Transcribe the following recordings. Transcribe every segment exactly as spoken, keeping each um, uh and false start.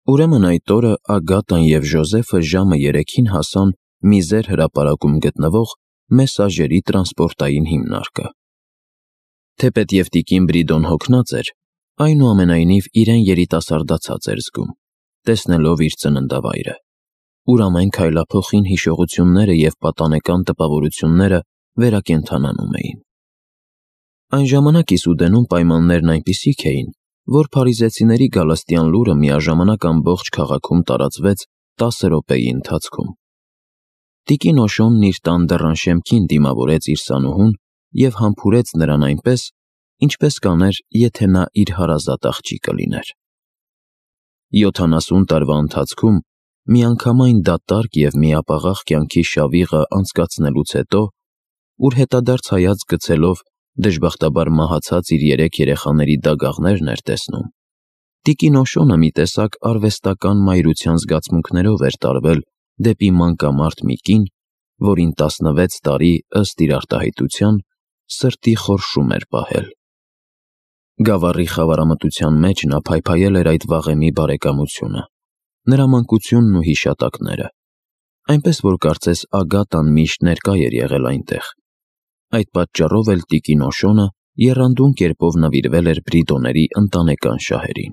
Ուրեմն այդ օրը Ագատան և Ժոզեֆը ժամը երեքին հասան Միզեր հրապարակում գտնվող մեսաժերի տրանսպորտային հիմնարկը։ Թեպետ տիկին Բրիդոն հոգնած էր, այնուամենայնիվ իրեն երիտասարդացած էր զգում, տեսնելով իր ծննդավայրը, ուր ամեն քայլափոխին հիշողությունները և պատանեկան տպավորությունները վերակենդանանում էին։ Այն ժամանակ Իսուդենում պայմաններն այնպիսիք էին, որ փարիզեցիների գալստյան լուրը միաժամանակ ամբողջ քաղաքում տարածվեց տասը րոպեի ընթացքում։ Տիկին Օշոնն իր տան դռան շեմքին դիմավորեց իր սանուհուն և համբուրեց նրան այնպես, ինչպես կաներ, եթե նա իր հարազատ աղջիկը լիներ։ Յոթանասուն տարվա ընթացքում միանգամայն դատարկ և միապաղաղ կյանքի շավիղը անցկացնելուց հետո, ուր հետադարձ հայացք գցելով դժբախտաբար մահացած իր երեք երեխաների դագաղներն էր տեսնում, տիկին Օշոնը մի տեսակ արվեստական մայրության զգացմունքներով էր տարվել դեպի մանկամարդ մի կին, որին տասնվեց տարի, ըստ իր արտահայտության, սրտի խորշում էր պահել։ Գավառի խավարամտության մեջ նա փայփայել էր այդ վաղեմի բարեկամությունը, նրա մանկությունն ու հիշատակները, այնպես որ կարծես Ագատան միշտ ներկա էր եղել այնտեղ։ Այդ պատճառով էլ տիկին Օշոնը եռանդուն կերպով նվիրվել էր Բրիդոների ընտանեկան շահերին։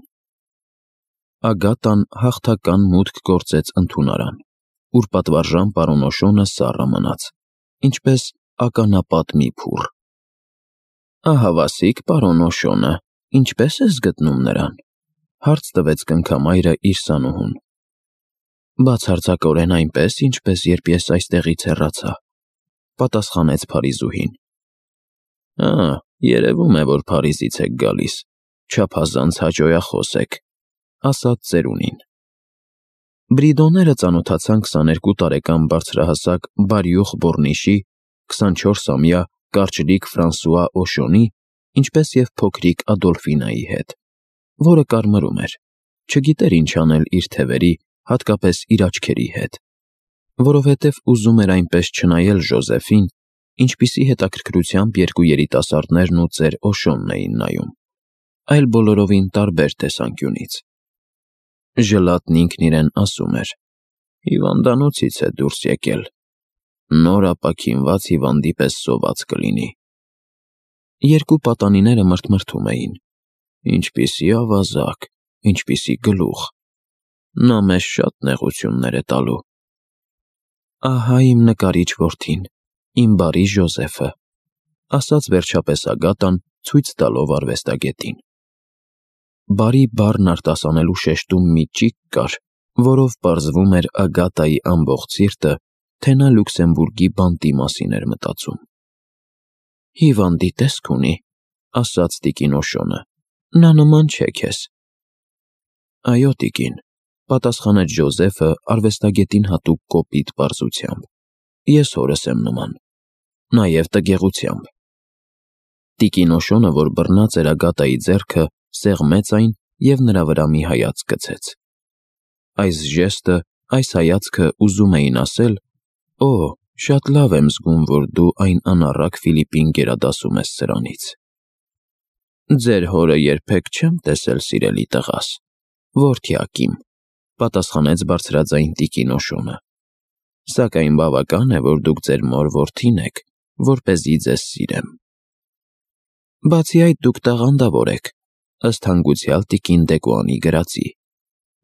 Ագատան հաղթական մուտք գործեց ընդունարան, ուր պատվարժան պարոն Օշոնը սառը մնաց, ինչպես ականապատ մի փուռ։ «Ահավասիկ, պարոն Օշոնը, ինչպե՞ս ես գտնում նրան», հարց տվեց կնքամայրը իր սանուհուն։ «Բացարձակորեն այնպես, ինչպես երբ ես այստեղից հեռացա», պատասխանեց փարիզուհին։ «Ա, երևում է, որ Փարիզից եք գալիս, չափազանց հաճոյախոս եք», ասաց ծերունին։ Բրիդոները ծանոթացան քսաներկու տարեկան բարձրահասակ Բարյուխ Բոռնիշի, քսանչորսամյա կարճլիկ Ֆրանսուଆ Օշոնի, ինչպես և փոքրիկ Ադոլֆինայի հետ, որը կարմրում էր, չգիտեր ինչ անել իր թևերի, հատկապես իր աչքերի հետ, որովհետև ուզում էր այնպես չնայել Ժոզեֆին, ինչպիսի հետաքրքրությամբ երկու երիտասարդներն ու ծեր Օշոնն էին նայում, այլ բոլորովին տարբեր տեսանկյունից։ Ժլատն ինքն իրեն ասում էր. «Հիվանդանոցից է դուրս եկել, նոր ապաքինված հիվանդի պես սոված կլինի»։ Երկու պատանիները մրթմրթում էին. «Ինչպիսի ավազակ, ինչպիսի գլուխ, նա մեզ շատ նեղություններ է տալու»։ «Ահա իմ նկարիչ որդին, իմ բարի Ժոզեֆը», ասաց վերջապես Ագատան, ցույց տալով արվեստագետին։ Բարի բառն արտասանելու շեշտում մի ճիգ կար, որով պարզվում էր Ագատայի ամբողջ սիրտը, թե նա Լյուքսեմբուրգի բանտի մասին էր մտածում։ «Հիվանդի տեսք ունի», ասաց տիկին Օշոնը, «նա նման չէ քեզ»։ «Այո, տիկին», պատասխանեց Ժոզեֆը արվեստագետին հատուկ կոպիտ պարզությամբ, «ես հորս եմ նման, նաև տգեղությամբ»։ Տիկին Օշոնը, որ բռնած էր Ագատայի ձեռքը, սեղմեց այն և նրա վրա մի հայացք գցեց։ Այս ժեստը, այս հայացքը ուզում էին ասել. «Օ, շատ լավ եմ զգում, որ դու այն անառակ Ֆիլիպին գերադասում ես սրանից»։ «Ձեր հորը երբեք չեմ տեսել, սիրելի տղաս, որդյակ իմ», պատասխանեց բարձրաձայն տիկին Օշոնը, «սակայն բավական է, որ դուք ձեր մոր որդին եք, որպեսզի ձեզ սիրեմ»։ «Բացի այդ, դուք տաղանդավոր եք, ըստ հանգուցյալ տիկին Դեկոանի գրածի,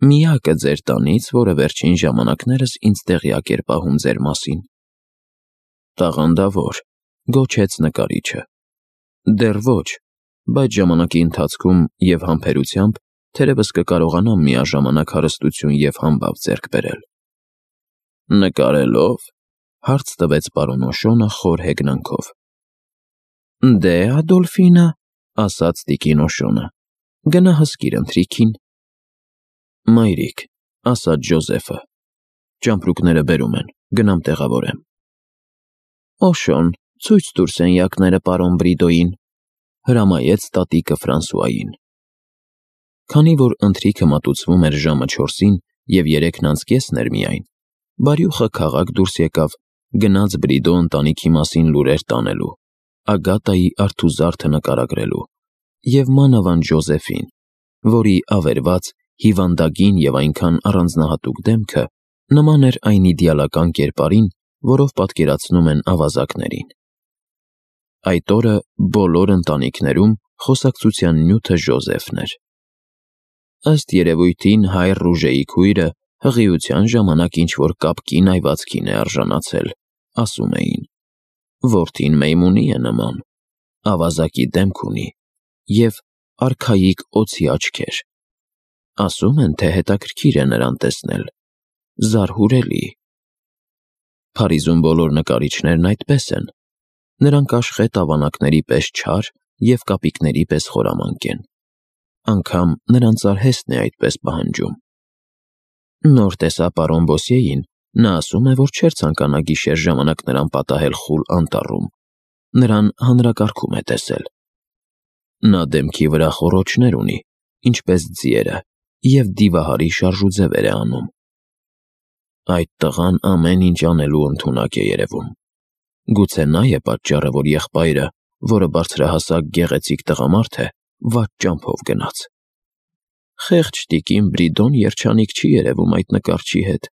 միակը ձեր տանից, որը վերջին ժամանակներս ինձ տեղյակ էր պահում ձեր մասին»։ «Տաղանդավոր», գոչեց նկարիչը։ «Դեռ ոչ, բայց ժամանակի ընթացքում և համբերությամբ թերևս կկարողանամ միաժամանակ հարստություն և համբավ ձեռք բերել»։ «Նկարելով», հարց տվեց պարոն Օշոնը խոր հեգնանքով։ «Դե, Ադոլֆինը», ասաց տիկին Օշոնը, «գնա հսկիր ընթրիքին»։ «Մայրիկ», ասաց Ժոզեֆը, «ճամպրուկները բերում են, գնամ տեղավորեմ»։ «Օշոն, ցույց տուր սենյակները պարոն Բրիդոյին», հրամայեց տատիկը Ֆրանսուային։ Քանի որ ընթրիքը մատուցվում էր ժամը չորսին և երեքն անց կեսն էր միայն, Բարյուխը քաղաք դուրս եկավ, գնաց Բրիդո ընտանիքի մասին լուրեր տանելու, Ագատայի արթուզարդը նկարագրելու և մանավանդ Ժոզեֆին, որի ավերված հիվանդագին և այնքան առանձնահատուկ դեմքը նման էր այն իդեալական կերպարին, որով պատկերացնում են ավազակներին։ Այդ օրը բոլոր ընտանիքներում խոսակցության նյութը Ժոզեֆն էր։ Ըստ երևույթին հայր Ռուժեի քույրը հղիության ժամանակ ինչ-որ կապկին այվածքին է արժանացել, ասում էին։ Որդին Մեյմունի է նման, ավազակի դեմք ունի և արքայիկ օձի աչքեր։ Ասում են, թե հետաքրքիր է նրան տեսնել, զարհուրելի։ Փարիզում բոլոր նկարիչներն այդպես են, նրանք աշխետ ավանակների պես չար և կապիկների պես խորամանկ են, անգամ նրանց արհեստն է այդպես պահանջում։ Նոր տեսա պարոն Բոսիեին, նա ասում է, որ չէր ցանկանա գիշեր ժամանակ նրան պատահել խուլ անտառում, նրան հանրակարգում է տեսել։ Նա դեմքի վրա խոռոչներ ունի, ինչպես ձիերը, և դիվահարի շարժուձևեր է անում։ Այդ տղան ամեն ինչ անելու ընդունակ է երևում։ Գուցե նա է պատճառը, որ եղբայրը, որը բարձրահասակ գեղեցիկ տղամարդ է, վատ ճամփով գնաց։ Խեղճ տիկին Բրիդոն երջանիկ չի երևում այդ նկարչի հետ։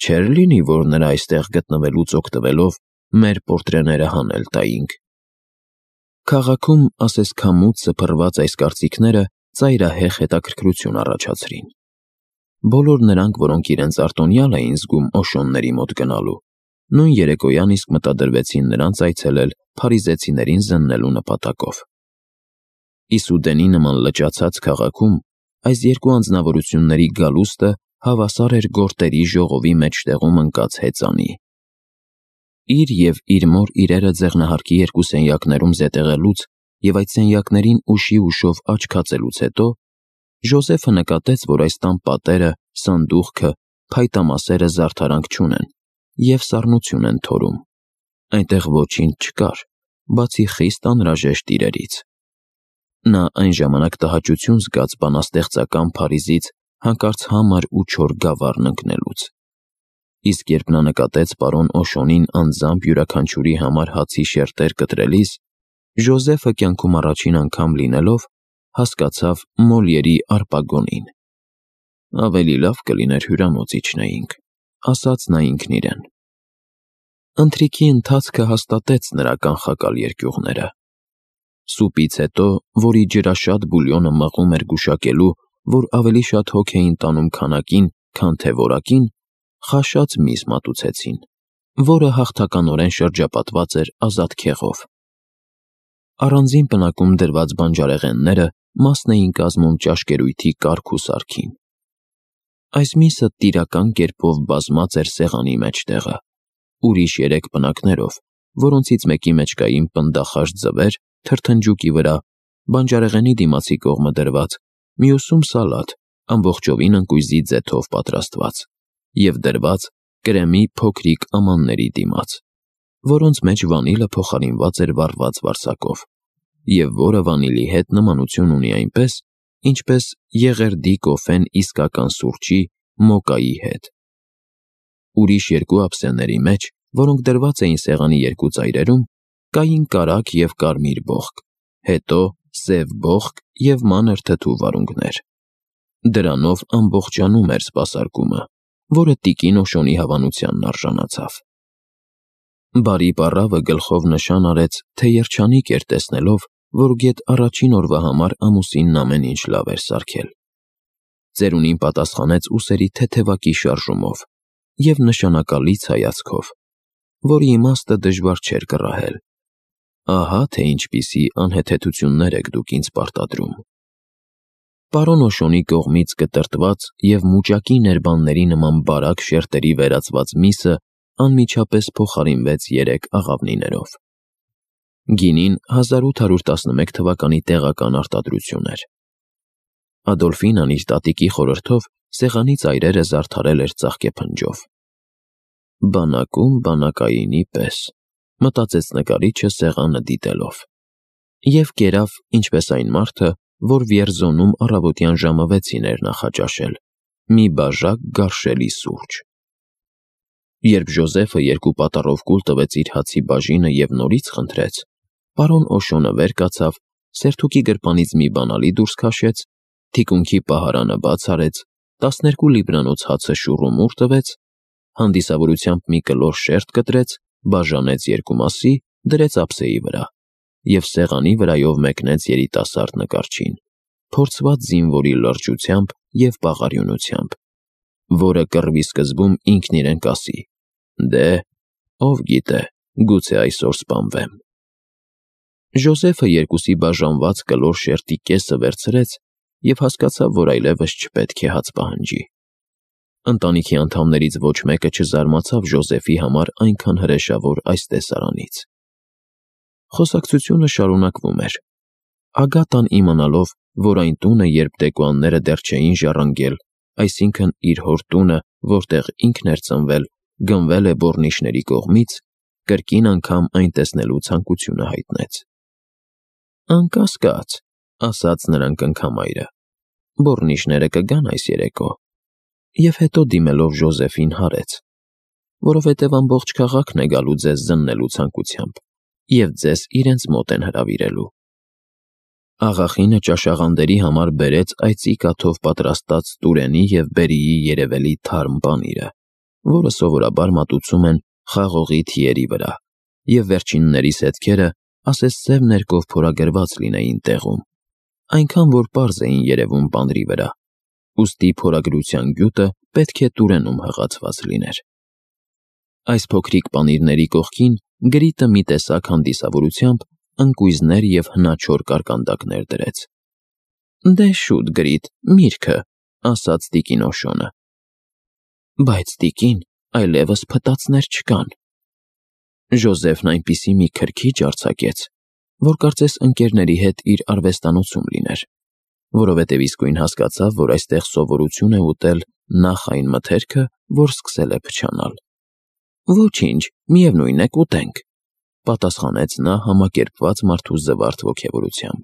Չէր լինի, որ նրա այստեղ գտնվելուց օգտվելով մեր պորտրեները հանել տայինք։ Քաղաքում ասես քամուց սփռված այս կարծիքները ծայրահեղ հետաքրքրություն առաջացրին։ Բոլոր նրանք, որոնք իրենց արտոնյալ էին զգում Օշոնների մոտ գնալու, նույն երեկոյան իսկ մտադրվեցին նրանց այցելել փարիզեցիներին զննելու նպատակով։ Իսուդենի նման լճացած քաղաքում այս երկու անձնավորությունների գալուստը հավասար էր գորտերի ժողովի մեջտեղում ընկած հեծանի։ Իր և իր մոր իրերը ձեղնահարկի երկու սենյակներում զետեղելուց և այդ սենյակներին ուշի ուշով աչքացելուց հետո Ժոզեֆը նկատեց, որ այս տան պատերը, սանդուղքը, փայտամասերը զարդարանք չունեն և սառնություն են թորում։ Այնտեղ ոչինչ չկար, բացի խիստ անհրաժեշտ իրերից։ Նա այն ժամանակ տհաճություն զգաց բանաստեղծական Փարիզից հանկարծ համր ու չոր գավառն ընկնելուց։ Իսկ երբ նա նկատեց պարոն Օշոնին անձամբ յուրաքանչյուրի համար հացի շերտեր կտրելիս, Ժոզեֆը կյանքում առաջին անգամ լինելով հասկացավ Մոլիերի Արպագոնին։ Ավելի լավ կլիներ հյուրանոց իջնեինք, ասաց նա ինքն իրեն։ Ընթրիքի ընթացքը հաստատեց նրա կանխակալ երկյուղները։ Սուպից հետո, որի ջրաշատ բուլյոնը մղում էր գուշակելու, որ ավելի շատ հոգ էին տանում քանակին, քան թե որակին, խաշած միս մատուցեցին, որը հաղթականորեն շրջապատված էր ազատ քեղով։ Առանձին պնակում դրված բանջարեղենները մասն էին կազմում ճաշկերույթի կարգ ու սարքին։ Այս միսը տիրական կերպով բազմած էր սեղանի մեջտեղը, ուրիշ երեք պնակներով, որոնցից մեկի մեջ կային պնդախաշ ձվեր, թրթնջուկի վրա, բանջարեղենի դիմացի կողմը դրված, մյուսում սալատ, ամբողջովին ընկույզի ձեթով պատրաստված, և դրված կրեմի փոքրիկ ամանների դիմաց, որոնց մեջ վանիլը փոխարինված էր վառված վարսակով, և որը վանիլի հետ նմանություն ունի այնպես, ինչպես եղերդի կոֆեն իսկական սուրճի, մոկայի հետ։ Ուրիշ երկու ափսեների մեջ, որոնք դրված էին սեղանի երկու ծայրերում, կային կարագ և կարմիր բողկ, հետո սև բողկ և մանր թթու վարունգներ։ Դրանով ամբողջանում էր սպասարկումը, որը տիկին Օշոնի հավանությանն արժանացավ։ Բարի պառավը գլխով նշան արեց, թե երջանիկ էր տեսնելով, որ գեթ առաջին օրվա համար ամուսինն ամեն ինչ լավ էր սարքել։ Ծերունին պատասխանեց ուսերի թեթևակի շարժումով և նշանակալից հայացքով, որի իմաստը դժվար չէր կռահել։ Ահա թե ինչպիսի անհեթեթություններ եք դուք ինձ պարտադրում։ Պարոն Օշոնի կողմից կտրտված և մուճակի ներբանների նման բարակ շերտերի վերածված միսը անմիջապես փոխարինվեց երեք աղավնիներով։ Գինին հազար ութ հարյուր տասնմեկ թվականի տեղական արտադրություն էր։ Ադոլֆինան իր տատիկի խորհրդով սեղանի ծայրերը զարդարել էր ծաղկեփնջով։ Բանակում բանակայինի պես, մտածեց նկարիչը սեղանը դիտելով, և կերավ, ինչպես այն մարդը, որ Վիերզոնում առավոտյան ժամը վեցին էր նախաճաշել, մի բաժակ գարշելի սուրճ։ Երբ Ժոզեֆը երկու պատառով կուլ տվեց իր հացի բաժինը և նորից խնդրեց, պարոն Օշոնը վեր կացավ, սերթուկի գրպանից մի բանալի դուրս քաշեց, թիկունքի պահարանը բաց արեց, տասներկու լիբրանոց հացը շուռումուռ տվեց, հանդիսավորությամբ մի կլոր շերտ կտրեց, բաժանեց երկու մասի, դրեց ափսեի վրա և սեղանի վրայով մեկնեց երիտասարդ նկարչին, փորձված զինվորի լրջությամբ և պաղարյունությամբ, որը կռվի սկզբում ինքն իրեն կասի. «Դե, ով գիտե, գուցե այսօր սպանվեմ»։ Ժոզեֆը երկուսի բաժանված կլոր շերտի կեսը վերցրեց և հասկացավ, որ այլևս չպետք է հաց պահանջի։ Ընտանիքի անդամներից ոչ մեկը չզարմացավ Ժոզեֆի համար այնքան հրեշավոր այս տեսարանից։ Խոսակցությունը շարունակվում էր։ Ագատան իմանալով, որ այն տունը, երբ դեկոյանները դեռ չէին ժառանգել, այսինքն իր հոր տունը, որտեղ ինքն էր ծնվել, գնվել է բոռնիչների կողմից, կրկին անգամ այն տեսնելու ցանկությունը հայտնեց։ «Անկասկած», ասաց նրան կնքամայրը, «բոռնիչները կգան այս երեկո»։ Եվ հետո դիմելով Ժոզեֆին հարեց. «Որովհետև ամբողջ քաղաքն է գալու ձեզ զննելու ցանկությամբ, և ձեզ իրենց մոտ են հրավիրելու»։ Աղախինը ճաշաղանդերի համար բերեց այծի կաթով պատրաստած Տուրենի և Բերիի երևելի թարմ պանիրը, որը սովորաբար մատուցում են խաղողի թիերի վրա, և վերջիններիս հետքերը ասես սև ներկով փորագրված լինեին տեղում, այնքան որ պարզ էին երևում պանրի վրա, ուստի փորագրության գյուտը պետք է Տուրենում հղացված լիներ։ Այս փոքրիկ պանիրների կողքին Գրիտը մի տեսակ հանդիսավորությամբ ընկույզներ և հնաչոր կարկանդակներ դրեց։ «Դե շուտ, Գրիտ, միրգը», ասաց տիկին Օշոնը։ «Բայց, տիկին, այլևս փտածներ չկան»։ Ժոզեֆն այնպիսի մի քրքիջ արձակեց, որ կարծես ընկերների հետ իր արվեստանոցում լիներ, որովհետև իսկույն հասկացավ, որ այստեղ սովորություն է ուտել նախ այն մթերքը, որ սկսել է փչանալ։ «Ոչինչ, միևնույն է, կուտենք», պատասխանեց նա համակերպված մարդու զվարթ ոգևորությամբ։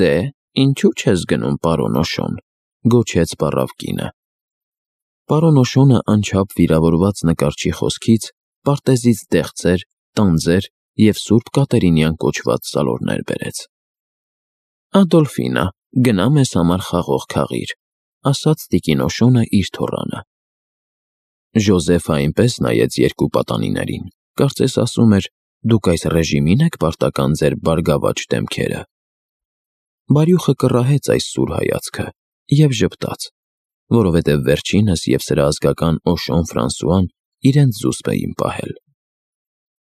«Դե, ինչու չես գնում, պարոն Օշոն», գոչեց պառավ կինը։ Պարոն Օշոնը անչափ վիրավորված նկարչի խոսքից պարտեզից դեղձեր, տանձեր և Սուրբ Կատերինյան կոչված սալորներ բերեց։ «Ադոլֆինա, գնա մեզ համար խաղող քաղիր», ասաց տիկին Օշոնը իր թոռանը։ Ժոզեֆը այնպես նայեց երկու պատանիներին, կարծես ասում էր. «Դուք այս ռեժիմի՞ն եք պարտական ձեր բարգավաճ դեմքերը»։ Բարյուխը կռահեց այս սուր հայացքը և ժպտաց, որովհետև վերջինս և սրա ազգական Օշոն Ֆրանսուան իրենց զուսպ էին պահել։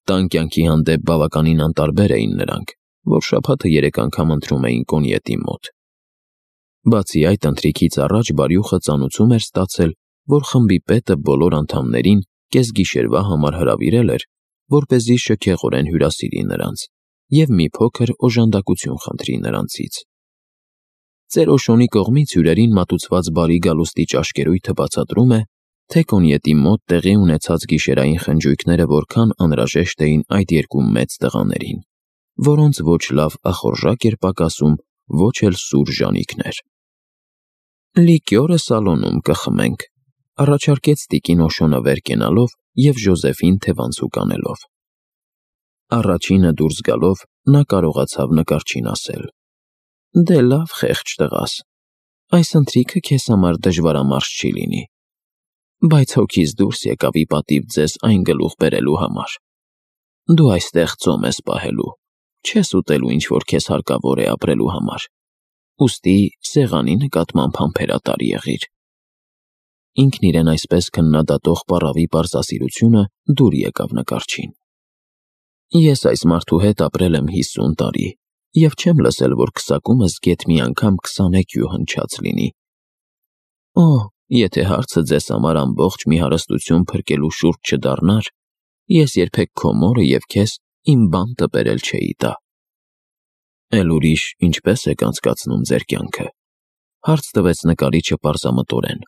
Տան կյանքի հանդեպ բավականին անտարբեր էին նրանք, որ շաբաթը երեք անգամ ընթրում էին կոնյետի մոտ։ Բացի այդ, ընթրիքից առաջ Բարյուխը ծանուցում էր ստացել, որ խմբի պետը բոլոր անդամներին կեսգիշերվա համար հրավիրել էր, որպեսզի շքեղորեն հյուրասիրի նրանց և մի փոքր օժանդակություն խնդրի նրանցից։ Ծեր Օշոնի կողմից հյուրերին մատուցված բարի գալուստի ճաշկերույթը բացատրում է, թե կոնյետի մոտ տեղի ունեցած գիշերային խնջույքները որքան անհրաժեշտ էին այդ երկու մեծ տղաներին, որոնց ոչ լավ ախորժակ էր պակասում, ոչ էլ սուր ժանիքներ։ «Լիկյորը սալոնում կխմենք», առաջարկեց տիկին Օշոնը վեր կենալով և Ժոզեֆին թևանցուկ անելով։ Առաջինը դուրս գալով նա կարողացավ նկարչին ասել. «Դե լավ, խեղճ տղաս, այս ընթրիքը քեզ համար դժվարամարս չի լինի, բայց հոգիս դուրս եկավ ի պատիվ ձեզ այն գլուխ բերելու համար։ Դու այստեղ ծոմ ես պահելու, չես ուտելու ինչ-որ քեզ հարկավոր է ապրելու համար, ուստի սեղանի նկատմամբ համբերատար եղիր»։ Ինքն իրեն այսպես քննադատող պառավի պարզասիրությունը դուր եկավ նկարչին։ «Ես այս մարդու հետ ապրել եմ հիսուն տարի և չեմ լսել, որ քսակումս գեթ մի անգամ քսանեքյու հնչած լինի։ Օ, եթե հարցը ձեզ համար ամբողջ մի հարստություն փրկելու շուրջ չդառնար, ես երբեք քո մորը և քեզ իմ բան տպերել չէի տա»։ «Էլ ուրիշ ինչպե՞ս եք անցկացնում ձեր կյանքը», հարց տվեց նկարիչը պարզամտորեն,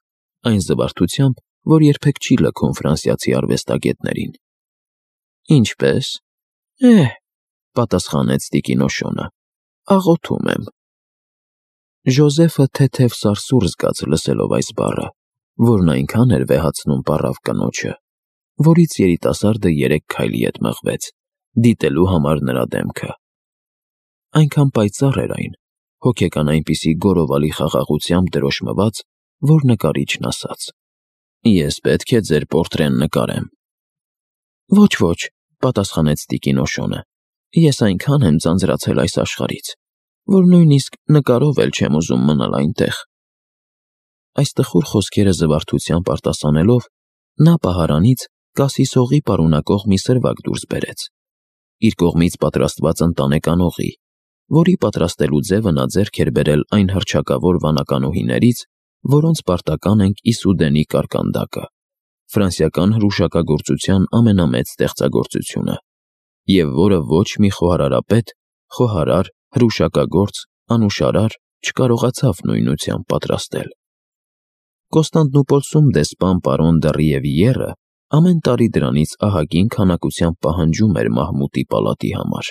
այն զվարթությամբ, որ երբեք չի լքում ֆրանսիացի արվեստագետներին։ «Ինչպե՞ս, էհ», պատասխանեց տիկին Օշոնը, «աղոթում եմ»։ Ժոզեֆը թեթև սարսուռ զգաց լսելով այս բառը, որն այնքան էր վեհացնում պառավ կնոջը, որից երիտասարդը երեք քայլի ետ մղվեց, դիտելու համար նրա դեմքը։ Այնքան պայծառ էր այն, հոգեկան այնպիսի գորովալի խաղաղությամբ դրոշմված, որ նկարիչն ասաց. «Ես պետք է ձեր պորտրեն նկարեմ»։ «Ոչ, ոչ», պատասխանեց տիկին Օշոնը, «ես այնքան եմ ձանձրացել այս աշխարհից, որ նույնիսկ նկարով էլ չեմ ուզում մնալ այնտեղ»։ Այս տխուր խոսքերը զվարթությամբ արտասանելով, նա պահարանից կասիսօղի պարունակող մի սրվակ դուրս բերեց, իր կողմից պատրաստված ընտանեկանողի, որի պատրաստելու ձևը նա ձեռք էր բերել այն հռչակավոր վանականուհիներից, որոնց պարտական ենք Իսուդենի կարկանդակը, ֆրանսիական հրուշակագործության ամենամեծ ստեղծագործությունը, և որը ոչ մի խոհարարապետ, խոհարար, հրուշակագործ, անուշարար չկարողացավ նույնությամբ պատրաստել։ Կոստանդնուպոլսում դեսպան պարոն դը Ռիևիերը ամեն տարի դրանից ահագին քանակությամբ պահանջում էր Մահմուտի պալատի համար։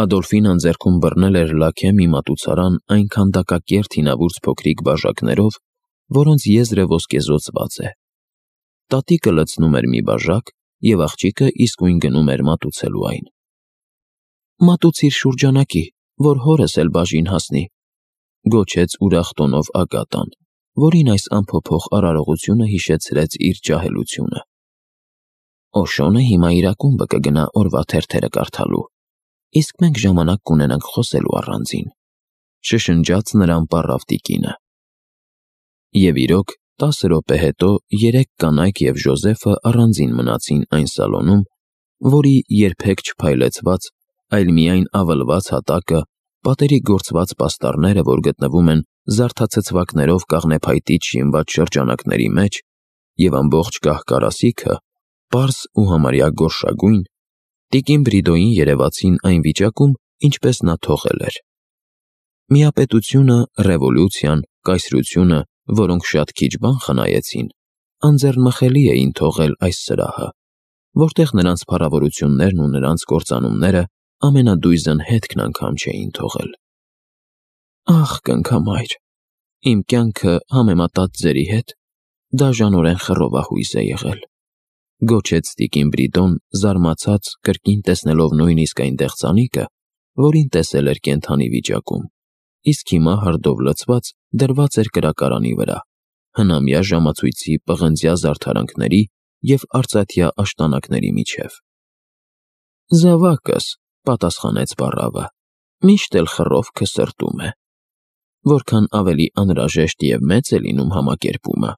Ադոլֆինան ձեռքում բռնել էր լաքե մի մատուցարան այն քանդակակերտ հինավուրց փոքրիկ բաժակներով, որոնց եզրը ոսկեզօծված է։ Տատիկը լցնում էր մի բաժակ, և աղջիկը իսկույն գնում էր մատուցելու այն։ «Մատուցիր շուրջանակի, որ հորս էլ բաժին հասնի», գոչեց ուրախ տոնով Ագատան, որին այս անփոփոխ արարողությունը հիշեցրեց իր ջահելությունը։ «Օշոնը հիմա իր ակումբը կգնա օրվա թերթերը կարդալու, իսկ մենք ժամանակ կունենանք խոսելու առանձին», շշնջաց նրան պառավ տիկինը։ Եվ իրոք, տասը րոպե հետո երեք կանայք և Ժոզեֆը առանձին մնացին այն սալոնում, որի երբեք չփայլեցված, այլ միայն ավլված հատակը, պատերի գործված պաստառները, որ գտնվում են զարդացցվածքներով կաղնեփայտից շինված շրջանակների մեջ, և ամբողջ կահ-կարասիքը, պարզ ու համարյա գորշագույն, տիկին Բրիդոյին երևացին այն վիճակում, ինչպես նա թողել էր։ Միապետությունը, ռևոլյուցիան, կայսրությունը, որոնք շատ քիչ բան խնայեցին, անձեռնմխելի էին թողել այս սրահը, որտեղ նրանց փառավորություններն ու նրանց կործանումները ամենադույզն հետքն անգամ չէին թողել։ «Ախ, կնքամայր, իմ կյանքը համեմատած ձերի հետ դաժանորեն խռովահույս է եղել», գոչեց տիկին Բրիդոն, զարմացած, կրկին տեսնելով նույնիսկ այն դեղձանիկը, որին տեսել էր կենդանի վիճակում, իսկ հիմա հրդով լցված դրված էր կրակարանի վրա, հնամյա ժամացույցի պղնձյա զարդարանքների և արծաթյա աշտանակների միջև։ «Զավակս», պատասխանեց պառավը, «միշտ էլ խռովքը սրտում է։ Որքան ավելի անհրաժեշտ և մեծ է լինում համակերպումը,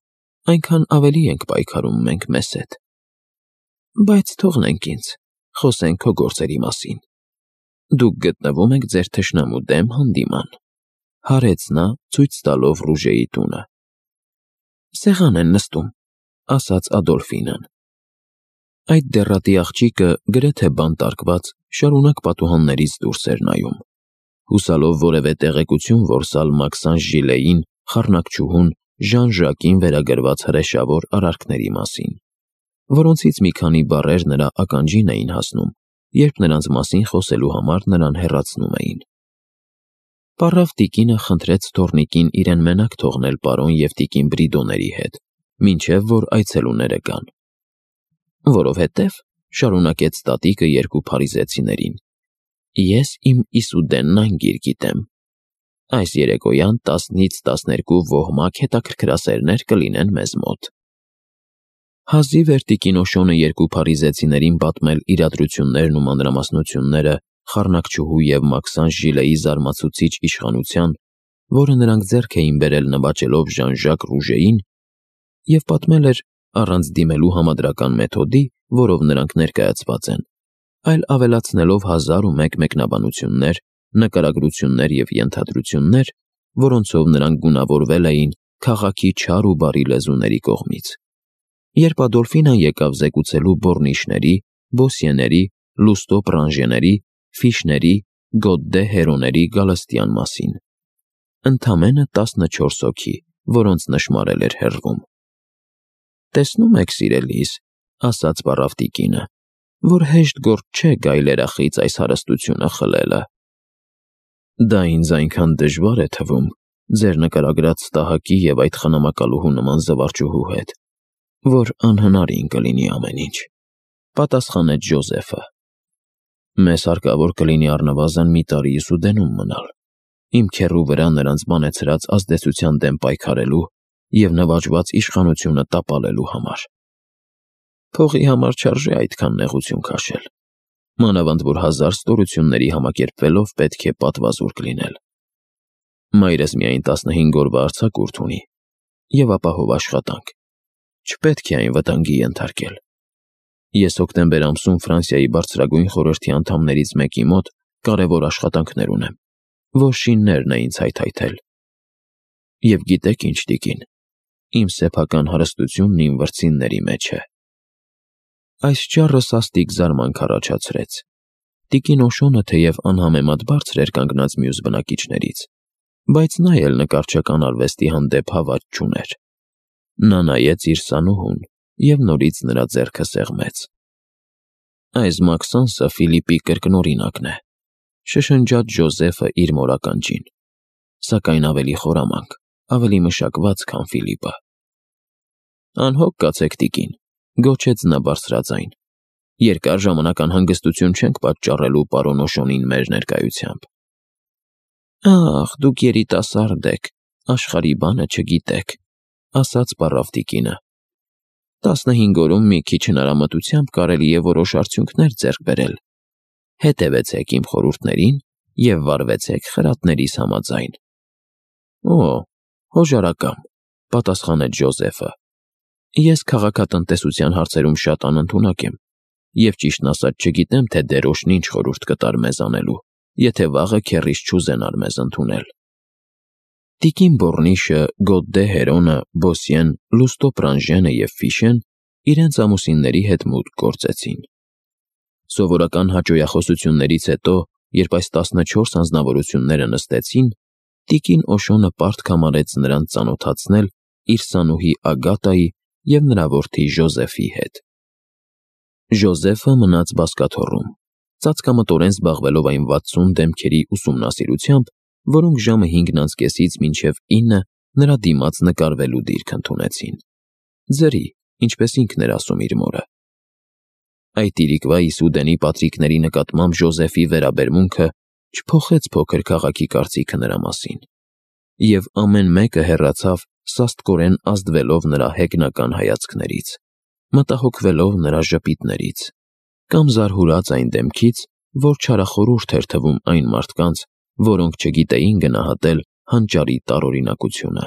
այնքան ավելի ենք պայքարում մենք մեզ հետ։ Բայց թողնենք ինձ, խոսենք քո գործերի մասին։ Դուք գտնվում եք ձեր թշնամու դեմ հանդիման», հարեց նա, ցույց տալով Ռուժեի տունը։ «Սեղան են նստում», ասաց Ադոլֆինան։ Այդ դեռատի աղջիկը, գրեթե բանտարկված, շարունակ պատուհաններից դուրս էր նայում, հուսալով որևէ տեղեկություն որսալ Մաքսանժ Ժիլեին, խառնակչուհուն, Ժան Ժակին վերագրված հրեշավոր արարքների մասին, որոնցից մի քանի բառեր նրա ականջին էին հասնում, երբ նրանց մասին խոսելու համար նրան հեռացնում էին։ Պառավ տիկինը խնդրեց թոռնիկին իրեն մենակ թողնել պարոն և տիկին Բրիդոների հետ, մինչև որ այցելուները գան։ «Որովհետև», շարունակեց տատիկը երկու փարիզեցիներին, «ես իմ Իսուդենն անգիր գիտեմ։ Այս երեկոյան տասնից տասներկու ոհմակ հետաքրքրասերներ կլինեն մեզ մոտ»։ Հազիվ էր տիկին Օշոնը երկու փարիզեցիներին պատմել իրադրություններն ու մանրամասնությունները խառնակչուհու և Մաքսանժ Ժիլեի զարմացուցիչ իշխանության, որը նրանք ձեռք էին բերել նվաճելով Ժան-Ժակ Ռուժեին, և պատմել էր առանց դիմելու համադրական մեթոդի, որով նրանք ներկայացված են, այլ ավելացնելով հազար ու մեկ մեկնաբանություններ, նկարագրություններ և ենթադրություններ, որոնցով նրանք գունավորվել էին քաղաքի չար ու բարի լեզուների կողմից։ Երբ Ադոլֆինան եկավ զեկուցելու Բորնիշների, Բոսիեների, Լուստո Պրանժեների, Ֆիշների, Գոդդե Հերոների Գալստյան մասին։ Ընդամենը տասնչորս հոգի, որոնց նշմարել էր հեռվում։ «Տեսնում եք, սիրելիս», ասաց պառավ տիկինը, «որ հեշտ գործ չէ գայլերախից այս հարստությունը խլելը։ Դա ինձ այնքան դժվար է թվում ձեր նկարագրած ստահակի և այդ խնամակալուհու նման զվարճուհու հետ, որ անհնարին կլինի ամեն ինչ», պատասխանեց Ժոզեֆը։ «Մեզ հարկավոր կլինի առնվազն մի տարի Իսուդենում մնալ, իմ քեռու վրա նրանց բանեցրած ազդեցության դեմ պայքարելու և նվաճված իշխանությունը տապալելու համար։ Փողի համար չարժե այդքան նեղություն քաշել, մանավանդ որ հազար ստորությունների համակերպվելով պետք է պատվազուրկ լինել։ Մայրս միայն տասնհինգ օրվա արձակուրդ ունի և ապահով աշխատանք, չպետք է այն վտանգի ենթարկել։ Ես հոկտեմբեր ամսում Ֆրանսիայի բարձրագույն խորհրդի անդամներից մեկի մոտ կարևոր աշխատանքներ ունեմ, որ շիններն է ինձ հայթայթել։ Եվ գիտեք ինչ, տիկին, իմ սեփական հարստությունն իմ վրձինների մեջ է։ Այս ճառը սաստիկ զարմանք առաջացրեց։ Տիկին Օշոնը թեև անհամեմատ բարձր էր կանգնած մյուս բնակիչներից, բայց նա էլ նկարչական արվեստի հանդեպ հավատ չուներ։ Նա նայեց իր սանուհուն և նորից նրա ձեռքը սեղմեց։ Այս Մաքսանսը Ֆիլիպի կրկնօրինակն է, շշնջաց Ջոզեֆը իր մորականջին, սակայն ավելի խորամանկ, ավելի մշակված, քան Ֆիլիպը։ Անհոգ կացեք, տիկին, գոչեց նա բարձրաձայն, երկար ժամանակ անհանգստություն չենք պատճառելու պարոն Օշոնին մեր ներկայությամբ։ Ախ, դուք երիտասարդ եք, աշխարհի բանը չգիտեք, ասաց պառավ տիկինը։ Տասնհինգ օրում մի քիչ հնարամտությամբ կարելի է որոշ արդյունքներ ձեռք բերել։ Հետևեցեք իմ խորհուրդներին և վարվեցեք խրատներիս համաձայն։ Օ, հոժարակամ, պատասխանեց Ջոզեֆը։ Ես քաղաքատնտեսության հարցերում շատ անընդունակ եմ և ճիշտն ասած չգիտեմ, թե դերոշն ինչ խորհուրդ կտար մեզ անելու, եթե վաղը քեռիս չուզենար մեզ ընդունել։ Տիկին Բոռնիշը, Գոդդե Հերոնը, Բոսյեն, Լուստո Պրանժենը և Ֆիշեն իրենց ամուսինների հետ մուտք գործեցին։ Սովորական հաճոյախոսություններից հետո, երբ այս տասնչորս անձնավորությունները նստեցին, տիկին Օշոնը պարտք համարեց նրանց ծանոթացնել իր սանուհի Ագատայի և նրա որդի Ժոզեֆի հետ։ Ժոզեֆը մնաց բազկաթոռում, ծածկամտորեն զբաղվելով այն վաթսուն դեմքերի ուսումնասիրությամբ, որոնք ժամը հինգն անց կեսից մինչև ինը նրա դիմաց նկարվելու դիրք ընդունեցին։ Ձրի, ինչպես ինքն էր ասում իր մորը։ Այդ իրիկվա Իսուդենի պատրիկների նկատմամբ Ժոզեֆի վերաբերմունքը չփոխեց փոքր քաղաքի կարծիքը նրա մասին, և ամեն մեկը հեռացավ սաստկորեն ազդվելով նրա հեգնական հայացքներից, մտահոգվելով նրա ժպիտներից, կամ զարհուրած այն դեմքից, որ չարախորհուրդ էր թվում այն մարդկանց, որոնք չգիտեին գնահատել հանճարի տարօրինակությունը։